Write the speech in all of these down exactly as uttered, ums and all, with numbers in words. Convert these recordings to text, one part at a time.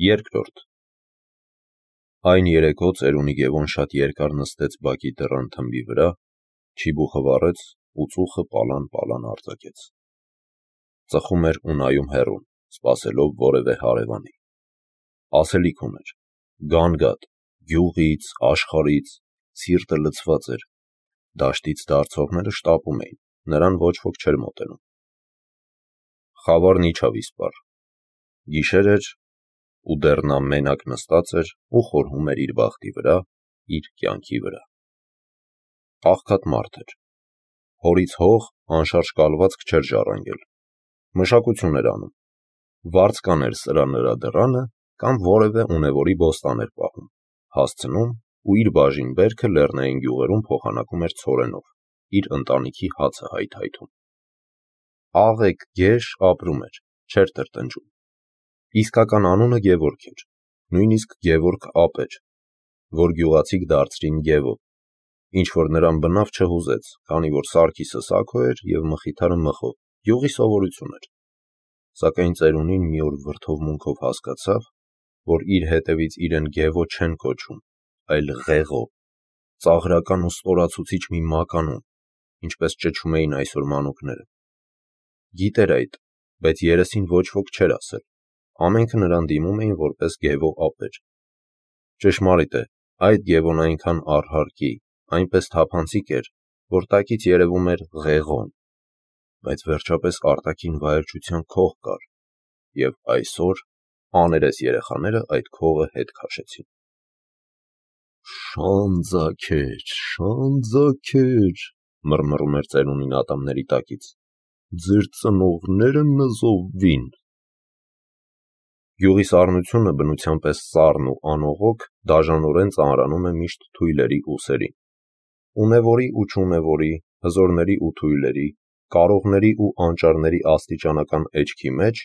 Երկրորդ Այն երեկո ծերունի Գևոն շատ երկար նստեց բակի դռան թմբի վրա, չիբուխը վառեց ու ծուխը պալան-պալան արձակեց. ծխում էր ու նայում հեռուն, սպասելով որևէ հարևանի. ասելիք ուներ, գան-գատ, գյուղից, աշխարհից, սիրտը լցված էր, դաշտից դարձողները շտապում էին, նրան ոչ ոք չէր մոտենում. խավարն իջավ իսպառ, գիշեր էր ու դեռ նա մենակ նստած էր ու խորհում էր իր բախտի վրա, իր կյանքի վրա. աղքատ մարդ էր, հորից հող անշարժ կալվածք չէր ժառանգել, մշակություն էր անում, վարձ կաներ սրա նրա դռանը կամ որևէ ունևորի բոստան էր պահում, հասցնում ու իր բաժին բերքը լեռնային գյուղերում փոխանակում էր ցորենով, իր ընտանիքի հացը հայթայթում. աղեկ գեշ ապրում էր, չէր տրտնջում, իսկական անունը Գևորգ էր, նույնիսկ Գևորգ ապ էր, որ գյուղացիք դարձրին Գևո, ինչ որ նրան բնավ չհուզեց, քանի որ Սարգիսը Սաքո էր և Մխիթարը Մխո, գյուղի սովորություն էր, սակայն ծերունին մի օր վրդովմունքով հասկացավ, որ իր հետևից իրեն Գևո չեն կոչում, այլ Ղեղո, ծաղրական ու ստորացուցիչ մի մականուն, ինչպես ճչում էին այսօր մանուկները. գիտեր այդ, բայց երեսին ոչ ոք չէր ասել, ամենքը նրան դիմում էին որպես Գևո ապեր. ճշմարիտ է, այդ Գևոն այնքան առհարկի, այնպես թափանցիկ էր, որ տակից երևում էր Ղեղոն, բայց վերջապես արտաքին վայելչության քող կար, և այսօր աներես երեխաները այդ քողը հետ քաշեցին. Շան ձագեր, շան ձագեր, մռմռում էր ծերունին ատամների տակից, ձեր ծնողները նզովվին. Գյուղի սառնությունը բնության պես սառն ու անողոք դաժանորեն ծանրանում է միշտ թույլերի ուսերին, ունևորի ու չունևորի, հզորների ու թույլերի, կարողների ու անճարների աստիճանական էջքի մեջ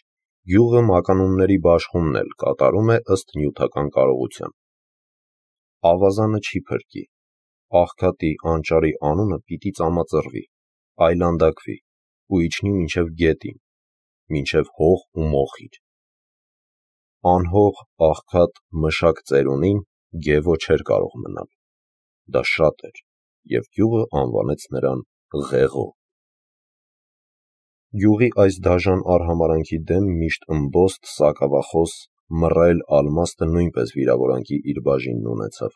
գյուղը մականունների բաշխումն էլ կատարում է ըստ նյութական կարողության. ավազանը չի փրկի, աղքատի, անճարի անունը պիտի ծամածռվի, այլանդակվի ու իջնի մինչև գետին, մինչև հող ու մոխիր. անհող, աղքատ, մշակ ծերունին Գևո չէր կարող մնալ, դա շատ էր, և գյուղը անվանեց նրան Ղեղո. Գյուղի այս դաժան արհամարհանքի դեմ միշտ ըմբոստ, սակավախոս, մռայլ Ալմաստը նույնպես վիրավորանքի իր բաժինն ունեցավ,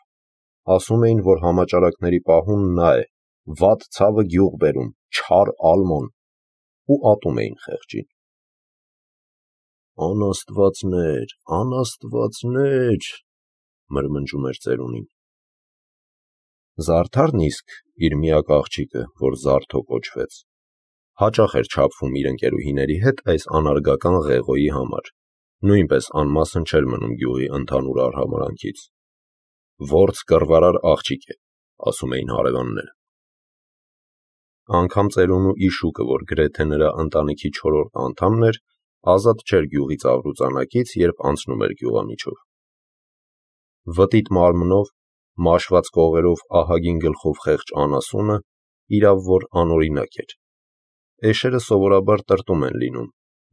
ասում էին, որ համաճարակների պահուն նա է, վատ ցավը գյուղ բերում, չար Ալմոն, ու ատում էին խեղճին. անաստվածներ, անաստվածներ, մրմնջում էր ծերունին. Զարդարն իսկ իր միակ աղջիկը, որ Զարթո կոչվեց, հաճախ էր չափվում իր ընկերուհիների հետ այս անարգական Ղեղոյի համար, նույնպես անմասն չէր մնում գյուղի ընդհանուր արհամարհանքից. որց կռվարար աղջիկ է, ասում էին հարևանները. անգամ ծերունու Իշուկը, որ գրեթե նրա ընտանիքի չորրորդ անդամն էր, ազատ չէր գյուղի ծաղրուծանակից, երբ անցնում էր գյուղամիջով. վտիտ մարմնով, մաշված կողերով, ահագին գլխով խեղճ անասունը իրավ որ անօրինակ էր, էշերը սովորաբար տրտում են լինում,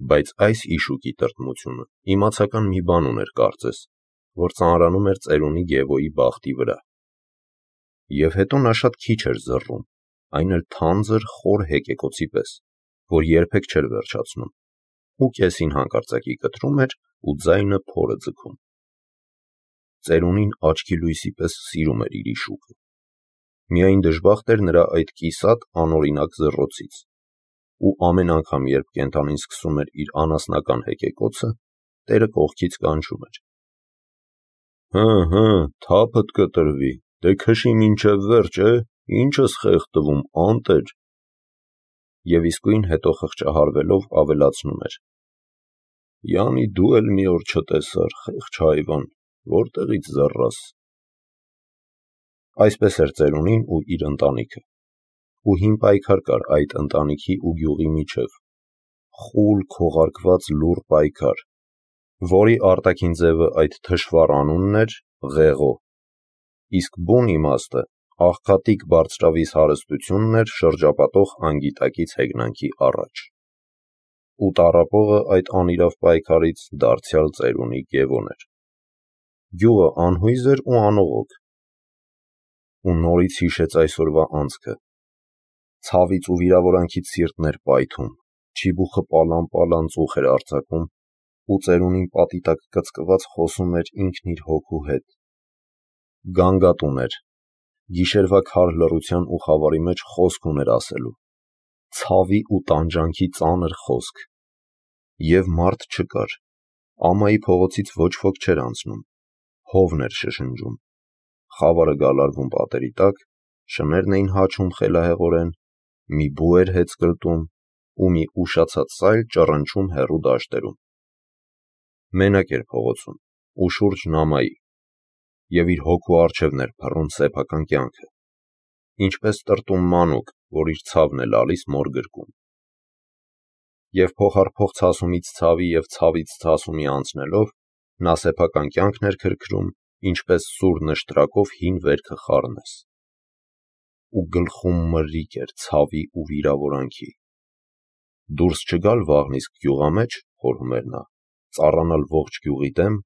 բայց այս Իշուկի տրտմությունը իմացական մի բան ուներ կարծես, որ ծանրանում էր ծերունի Գևոյի բախտի վրա, և հետո նա շատ քիչ էր զռռում, այն էլ թանձր խոր հեկեկոցի պես, որ երբեք չէր վերջացնում, ու կեսին հանկարծակի կտրում էր ու ձայնը փորը ձգում. ծերունին աչքի լույսի պես սիրում էր իր Իշուկը, միայն դժբախտ էր նրա այդ կիսատ անօրինակ զռռոցից, ու ամեն անգամ երբ կենդանին սկսում էր իր անասնական հեկեկոցը, տերը կողքից կանչում էր. հը, հը, թափդ կտրվի, դե քշի մինչև վերջ, է, ինչ ես խեղդվում, անտեր, և իսկույն հետո խղճահարվելով ավելացնում էր. յանի դու էլ մի օր չտեսար, խեղճ հայվան, որտեղից զռռաս: Այսպես էր ծերունին ու իր ընտանիքը, ու հին պայքար կար այդ ընտանիքի ու գյուղի միջև, խուլ քողարկված լուռ պայքար, որի արտաքին ձևը այդ թշվառ անունն էր Ղեղո, իսկ բուն իմաստը աղքատիկ բարձրավիզ հարստությունն էր շրջապատող անգիտակից հեգնանքի առաջ, ու տառապողը այդ անիրավ պայքարից դարձյալ ծերունի Գևոն էր: Գյուղը անհույզ էր ու անողոք, ու նորից հիշեց այսօրվա անցքը, ցավից ու վիրավորանքից սիրտն էր պայթում, չիբուխը պալան-պալան ծուխ էր արձակում, ու ծերունին պատի տակ կծկված խոսում էր ինքն իր հոգու հետ, գանգատուն էր, գիշերվա քար լռության ու խավարի մեջ խոսք ուներ ասելու, ցավի ու տանջանքի ծանր խոսք, և մարդ չկար, ամայի փողոցից ոչ ոք չէր անցնում, հովն էր շշնջում, խավարը գալարվում պատերի տակ, շներն էին հաչում խելահեղորեն, մի բու էր հեծ կլտում ու մի ուշացած սայլ ճռնչում հեռու դաշտերում։ Մենակ էր փողոցում, ու շուրջն ամայի, և իր հոգու առջևն էր փռում սեփական կյանքը, ինչպես տրտում մանուկ, որ իր ցավն է լալիս մոր գրկում։ Եվ փոխարփոխ ցասումից ցավի և ցավից ցասումի անցնելով, նա սեփական կյանքն էր քրքրում, ինչպես սուր նշտրակով հին վերքը խառնես։ Ու գլխում մրրիկ էր ցավի ու վիրավորանքի։ Դուրս չգալ վաղն իսկ գյուղամեջ, խորհում էր նա, ծառանալ ողջ գյուղի դեմ,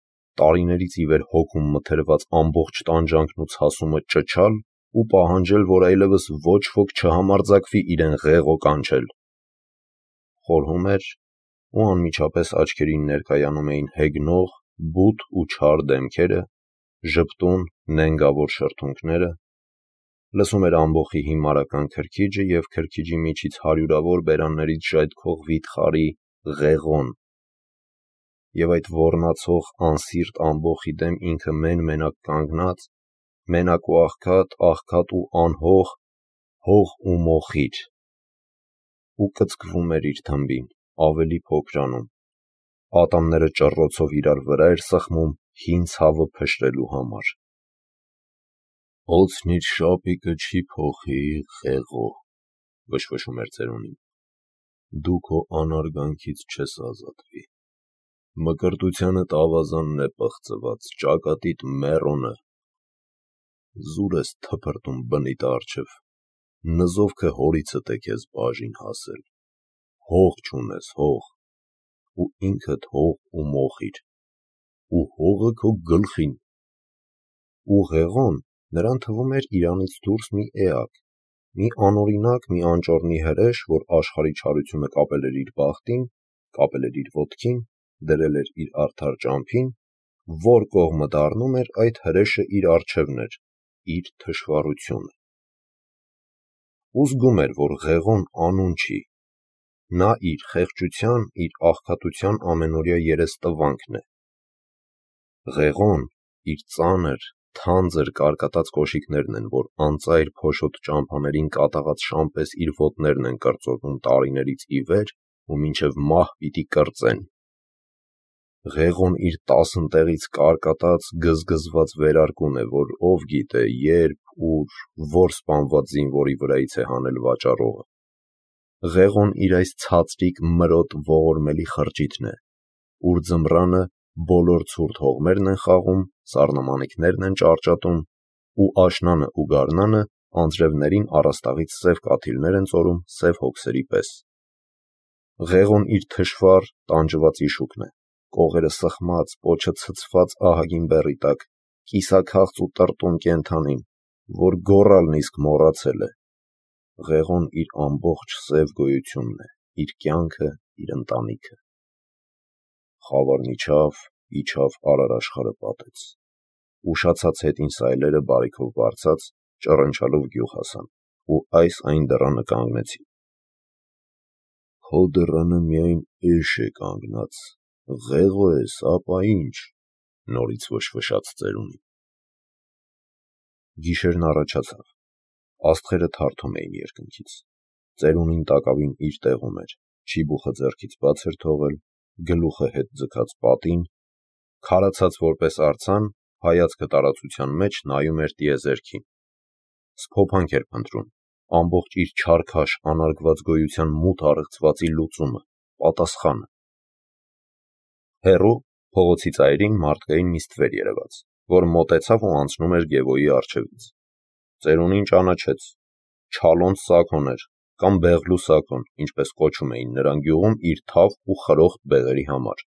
տարիներից ի վեր հոգում մթերված ամբողջ տանջանքն ու ցասումը ճչալ ու պահանջել, որ այլևս ոչ ոք չհամարձակվի իրեն ղեղո կանչել։ Խորհում էր, ու անմիջապես աչքերին ներկայանում էին հեգնող, բութ ու չար դեմքերը, ժպտուն, նենգավոր շրթունքները, լսում էր ամբոխի հիմարական քրքիջը և քրքիջի միջից հարյուրավոր բերաններից ժայթքող վիթխարի ղեղոն, և այդ ոռնացող անսիրտ ամբոխի դեմ ինքը մեն-մենակ կանգնած, մենակ ու աղքատ, աղքատ ու անհող, հող ու մոխիր, ու կծկվում էր իր թմբին, ավելի փոքրանում, ատամները ճռռոցով իրար վրա էր սխմում հին ցավը փշրելու համար։ «Օձն իր շապիկը չի փոխի, ղեղո», վշվշում էր ծերունին, «դու քո անարգանքից չես ազատվի, մկրտությանդ ավազանն է պղծված, ճակատիդ մեռոնը, զուր ես թփրտում բնիդ առջև, նզովքը հորիցդ է քեզ բաժին հասել, հող չունես, հող, ու ինքդ հող ու մոխիր, ու հողը քո գլխին»։ Ու ղեղոն նրան թվում էր իրանից դուրս մի էակ, մի անօրինակ, մի անճոռնի հրեշ, որ աշխարհի չարությունը կապել էր իր բախտին, կապել էր իր ոտքին, դրել էր իր արդար ճամփին, որ կողմը դառնում էր, այդ հրեշը իր առջևն էր, իր թշվառությունը։ Ու զգում էր, որ ղեղոն անուն չի, նա իր խեղճության, իր աղքատության ամենօրյա երեստվանքն է։ Ղեղոն իր ծանր, թանձր կարկատած կոշիկներն են, որ անծայր փոշոտ ճամփաներին կատաղած շան պես իր ոտներն են կրծոտում տարիներից ի վեր ու մինչև մահ պիտի կրծեն։ Ղեղոն իր տասնտեղից կարկատած, գզգզված վերարկուն է, որ ով գիտե երբ, ուր, որ սպանված զինվորի վրայից է հանել վաճառողը։ Ղեղոն իր այս ցածրիկ, մրոտ, ողորմելի խրճիթն է, ուր ձմռանը բոլոր ցուրտ հողմերն են խաղում, սառնամանիքներն են ճարճատում, ու աշնանը ու գարնանը անձրևներին առաստաղից սև կաթիլներ են ծորում սև հոգսերի պես։ Ղեղոն իր թշվառ, տանջված իշուկն է, կողերը սխմած, պոչը ցցված ահագին բեռի տակ, կիսաքաղց ու տրտում կենդանին, որ գոռալն իսկ մոռացել է։ Ղեղոն իր ամբողջ սև գոյությունն է, իր կյանքը, իր ընտանիքը։ Խավարն իջավ, իջավ արարաշխարը պատեց, ուշացած հետին սայլերը բարիքով բարձած, ճռնչալով գյուղ հասան, ու այս այն դռանը կանգնեցին։ «Քո դռանը միայն էշ է կանգնած, ղեղո ես, ապա ինչ», նորից վշվշաց ծերունին։ Գիշերն առաջացավ, աստղերը թարթում էին երկնքից, ծերունին տակավին իր տեղում էր, չիբուխը ձեռքից բաց էր թողել, գլուխը հետ ձգած պատին, քարացած որպես արձան, հայացքը տարածության մեջ նայում էր տիեզերքին։ Սփոփանք էր փնտրում, ամբողջ իր չարքաշ անարգված գոյության մութ առեղծվածի լուծումը, պատասխանը։ Հեռու, փողոցի ծայրին մարդկային մի ստվեր երևաց, որ մոտեցավ ու անցնում էր Գևոյի առջևից։ Ծերունին ճանաչեց, Չալոնց Սաքոն էր, կամ Բեղլու Սաքոն, ինչպես կոչում էին նրան գյուղում իր թավ ու խրոխտ բեղերի համար։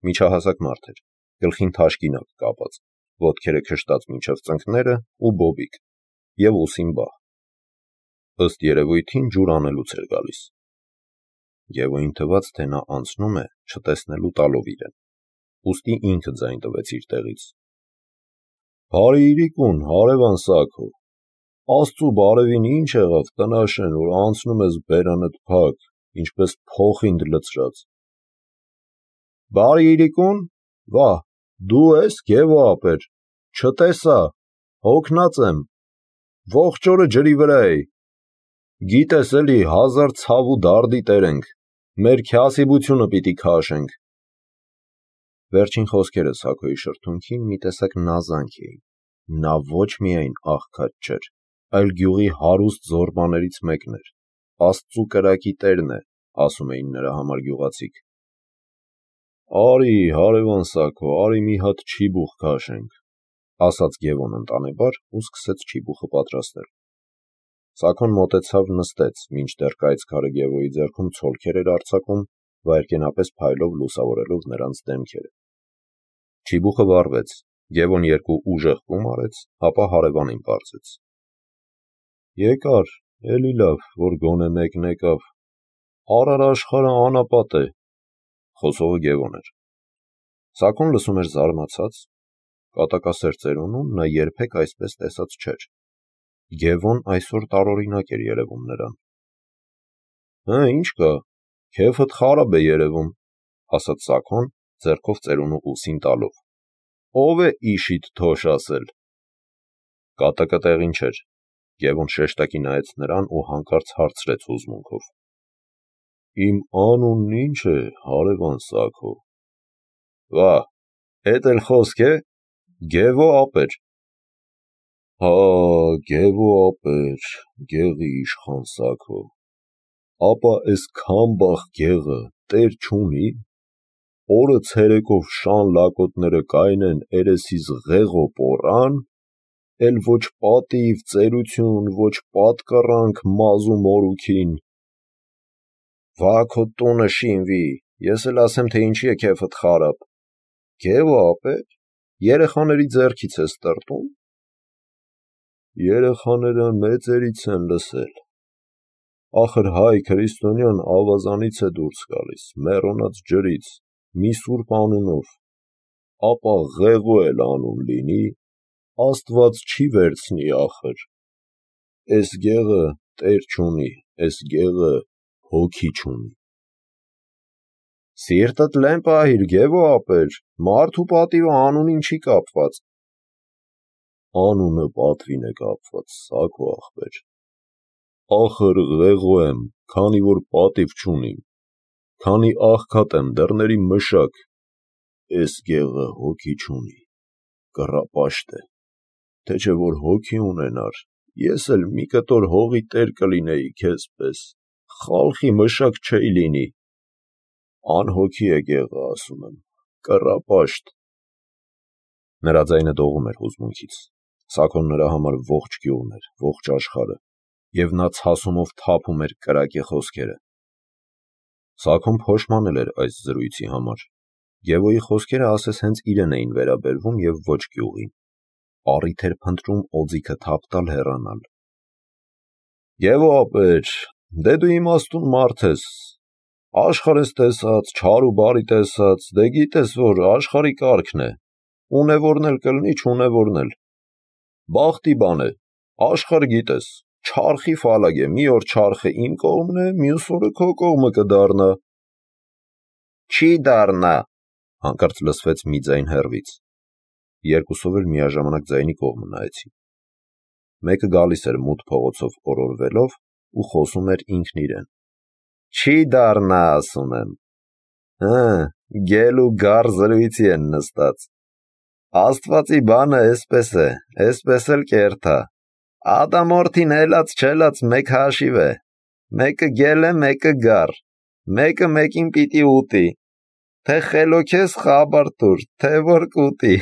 Միջահասակ մարդ էր, գլխին թաշկինակ կապած, ոտքերը քշտած մինչև ծնկները ու բոբիկ, և ուսին բահ։ Ըստ երևույթին ջուր անելուց էր գալիս։ Գևոյին թվաց, թե նա անցնում է, չտեսնելու տալով իրեն, ուստի ինքը ձայն տվեց իր տեղից։ Բարի իրիկուն, հարևան Սաքո, Աստծու բարևին ինչ եղավ, տնաշեն, որ անցնում ես բերանդ փակ, ինչպես փոխինդ լցրած։ Բարի իրիկուն, վա, դու ես Գևո ապեր, չտեսա, հոգնած եմ, ողջ օրը ջրի վրա էի, գիտես էլի հազար ցավ ու դարդի տեր ենք, մեր քյասիբությունը պիտի քաշենք։ Վերջին խոսքերը Սաքոյի շրթունքին մի տեսակ նազանք էին, նա ոչ միայն աղքատ չէր, այլ գյուղի հարուստ զորբաներից մեկն էր, Աստծու կրակի տերն է, ասում էին նրա համար գյուղացիք։ Արի, հարևան Սաքո, արի մի հատ չիբուխ քաշենք, ասաց Գևոն ընտանեբար ու սկսեց չիբուխը պատրաստել։ Սաքոն մոտեցավ նստեց, մինչդեռ կայծքարը Գևոյի ձեռքում ցոլքեր էր արձակում, վայրկենապես փայլով լուսավորելով նրանց դեմքերը։ Չիբուխը վառվեց, Գևոն երկու ուժեղ կում արեց, ապա հարևանին պարզեց. Եկար, էլի լավ, որ գոնե մեկն եկավ, առար աշխարհը անապատ է, խոսողը Գևոն էր։ Սաքոն լսում էր զարմացած, կատակասեր ծերունուն նա երբեք այսպես տեսած չէր։ Գևոն այսօր տարօրինակ էր երևում նրան։ Հը, ինչ կա, քեֆդ խարաբ է երևում, ասաց Սաքոն, ձեռքով ծերունու ուսին տալով։ Ով է իշիդ թոշ ասել։ Կատակը տեղին չէր, Գևոն շեշտակի նայեց նրան ու հանկարծ հարցրեց հուզմունքով. Իմ անունն ինչ է, հարևան Սաքո։ Վա, էդ էլ խոսք է, Գևո ապեր։ Հա, Գևո ապեր, գեղի իշխան Սաքո, ապա էս քամբախ գեղը տեր չունի, օրը ցերեկով շան լակոտները կայնեն երեսիս ղեղո պոռան, էլ ոչ պատիվ, ծերություն, ոչ պատկառանք մազու մորուքին։ Վա քո տունը շինվի, ես էլ ասեմ, թե ինչի է քեֆդ խարաբ։ Գևո ապեր, երեխաների ձեռքից ես տրտում։ Երեխաները մեծերից են լսել։ Ախր հայ քրիստոնյան ավազանից է դուրս գալիս, մեռոնած ջրից, մի սուրբ անունով, ապա ղեղո էլ անուն լինի, Աստված չի վերցնի ախր։ Էս գեղը տեր չունի, էս գեղը հոգի չունի։ Սիրտդ լեն պահիր, Գևո ապեր, մարդու պատիվը անունին չի կապված։ Անունը պատվին է կապված, Սաքո ախպեր։ Ախր ղեղո եմ, քանի որ պատիվ չունիմ, քանի աղքատ եմ, դռների մշակ, էս գեղը հոգի չունի, կռապաշտ է, թե չէ որ հոգի ունենար, ես էլ մի կտոր հողի տեր կլինեի քեզ պես, խալխի մշակ չէի լինի, անհոգի է գեղը, ասում եմ, կռապաշտ։ Նրա ձայնը դողում էր հուզմունքից, Սաքոն նրա համար ողջ գյուղն էր, ողջ աշխարհը, և նա ցասումով թափում էր կրակե խոսքերը։ Սաքոն փոշմանել էր այս զրույցի համար։ Գևոյի խոսքերը ասես հենց իրեն էին վերաբերվում և ոչ գյուղին։ Առիթ էր փնտրում օձիքը թափ տալ հեռանալ։ Գևո ապեր, դե դու իմաստուն մարդ ես, աշխարհ ես տեսած, չար ու բարի տեսած, դե գիտես, որ աշխարհի կարգն է, ունևորն էլ կլինի, չունևորն էլ։ Բախտի բան է, աշխարհ գիտես, չարխի ֆալագ է, մի օր չարխը իմ կողմն է, մյուս օրը քո կողմը կդառնա։ Չի դառնա, հանկարծ լսվեց մի ձայն հեռվից։ Երկուսով էլ միաժամանակ ձայնի կողմը նայեցին։ Մեկը գալիս էր մութ փողոցով օրորվելով ու խոսում էր ինքն իրեն։ Չի դառնա, ասում եմ։ Հը, գել ու գար զրույցի են նստած։ Աստվածի բանը էսպես է, էսպես էլ կերթա։ Ադամորդին հելած չելած մեկ հաշիվ է։ Մեկը գել է, մեկը գար։ Մեկը մեկին պիտի ուտի։ Թե խելոքես խաբար տուր, թե որ կուտի։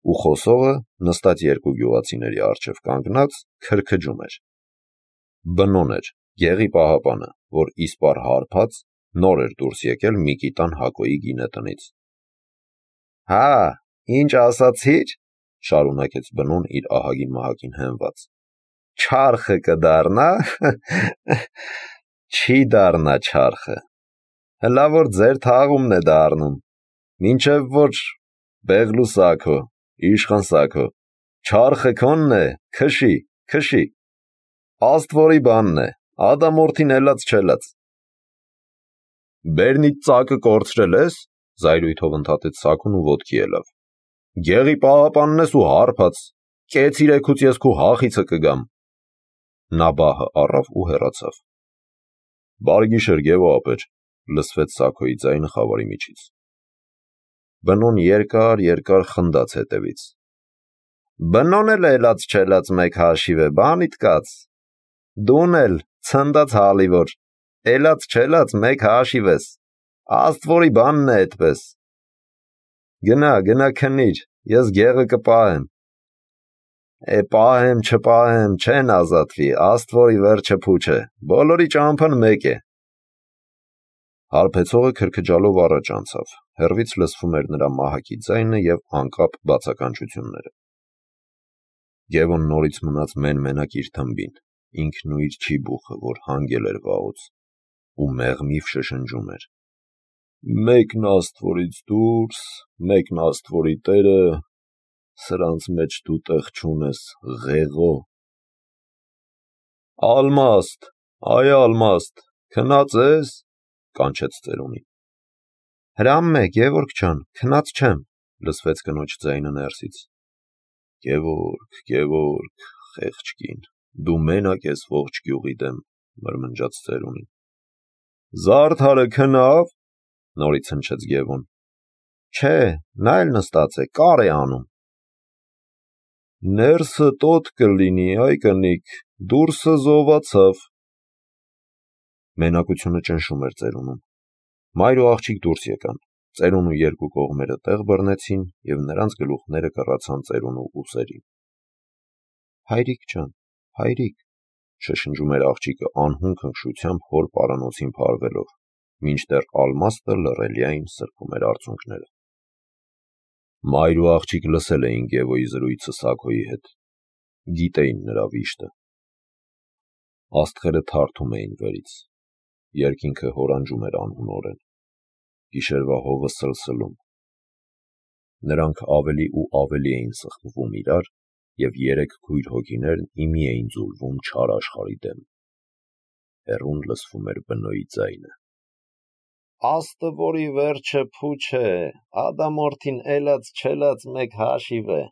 Ու խոսողը նստած երկու գյուղացիների առջև կանգնած քրքջում էր։ Բնոն էր, գեղի պահապանը, որ իսպառ հարբած նոր էր դուրս եկել Միկիտան Հակոյի գինետնից։ Հա, ինչ ասացիր, շարունակեց բնոն իր ահագին մահակին հենված, չարխը կդառնա, չի դառնա չարխը, հլա որ ձեր թաղումն է դառնում, մինչև որ բեղլու սաքո, իշխան սաքո, չարխը քոնն է, քշի, քշի, աստվորի բանն է, ադամորդին ելած չելած։ Բերնիդ ծակը կորցրել ես, զայրույթով ընդհատեց սաքուն ու ոտքի ելավ։ Գեղի պահապանն ես ու հարբած, կեց իրեքուց ես քու հախիցը կգամ։ Նա բահը առավ ու հեռացավ։ Բարգիշեր Գևո ապեր, լսվեց Սաքոյի ձայնը խավարի միջից։ Բնոն երկար երկար խնդաց հետևից։ Բնոն էլ ելած չելած մեկ հաշիվ է, բանիդ կաց։ Դուն էլ ցնդած հալիվոր, ելած չելած մեկ հաշիվ ես, աստվորի բանն է այդպես։ Գնա, գնա քնիր, ես գեղը կպահեմ։ Է պահեմ, չպահեմ, չեն ազատվի, աստվորի վերջը փուչ է, բոլորի ճամփան մեկ է։ Հարբեցողը քրքջալով առաջ անցավ, հեռվից լսվում էր նրա մահակի ձայնը և անկապ բացականչությունները։ Գևոն նորից մնաց մեն-մենակ իր թմբին, ինքն ու իր չիբուխը, որ հանգել էր վաղուց, ու մեղմիվ շշնջում էր. Մեկն աստվորից դուրս, մեկն աստվորի տերը, սրանց մեջ դու տեղ չունես, ղեղո։ Ալմաստ, այ ալմաստ, քնած ես, կանչեց ծերունին։ Հրամն է, Գևորգ ջան, քնած չեմ, լսվեց կնոջ ձայնը ներսից։ Գևորգ, Գևորգ, խեղճ կին, դու մենակ ես ողջ գյուղի դեմ, մրմնջաց ծերունին։ Զարդարը քնավ, նորից հնչեց Գևոն։ Չէ, նա էլ նստած է, կար է անում։ Ներսը տոտ կլինի, այ կնիկ, դուրսը զովացավ։ Մենակությունը ճնշում էր ծերունում։ Մայր ու աղջիկ դուրս եկան, ծերունու երկու կողմերը տեղ բռնեցին և նրանց գլուխները կռացան ծերունու ուսերին։ Հայրիկ ջան, հայրիկ, շշնջում էր աղջիկը անհուն քնքշությամբ հոր պարանոցին փարվելով, մինչդեռ ալմաստը լռելիային սրբում էր արցունքները։ Մայր ու աղջիկ լսել էին Գևոյի զրույցը Սաքոյի հետ, գիտեին նրա վիշտը։ Աստղերը թարթում էին վերից, երկինքը հորանջում էր անհունորեն, գիշերվա հովը սլսլում։ Նրանք ավելի ու ավելի էին սխմվում իրար, և երեք քույր հոգիներն իմի էին ձուլվում չար աշխարհի դեմ։ Հեռուն լսվում էր բնոյի ձայնը։ Աստվորի վերջը փուչ է, ադամորդին ելած չելած մեկ հաշիվ է։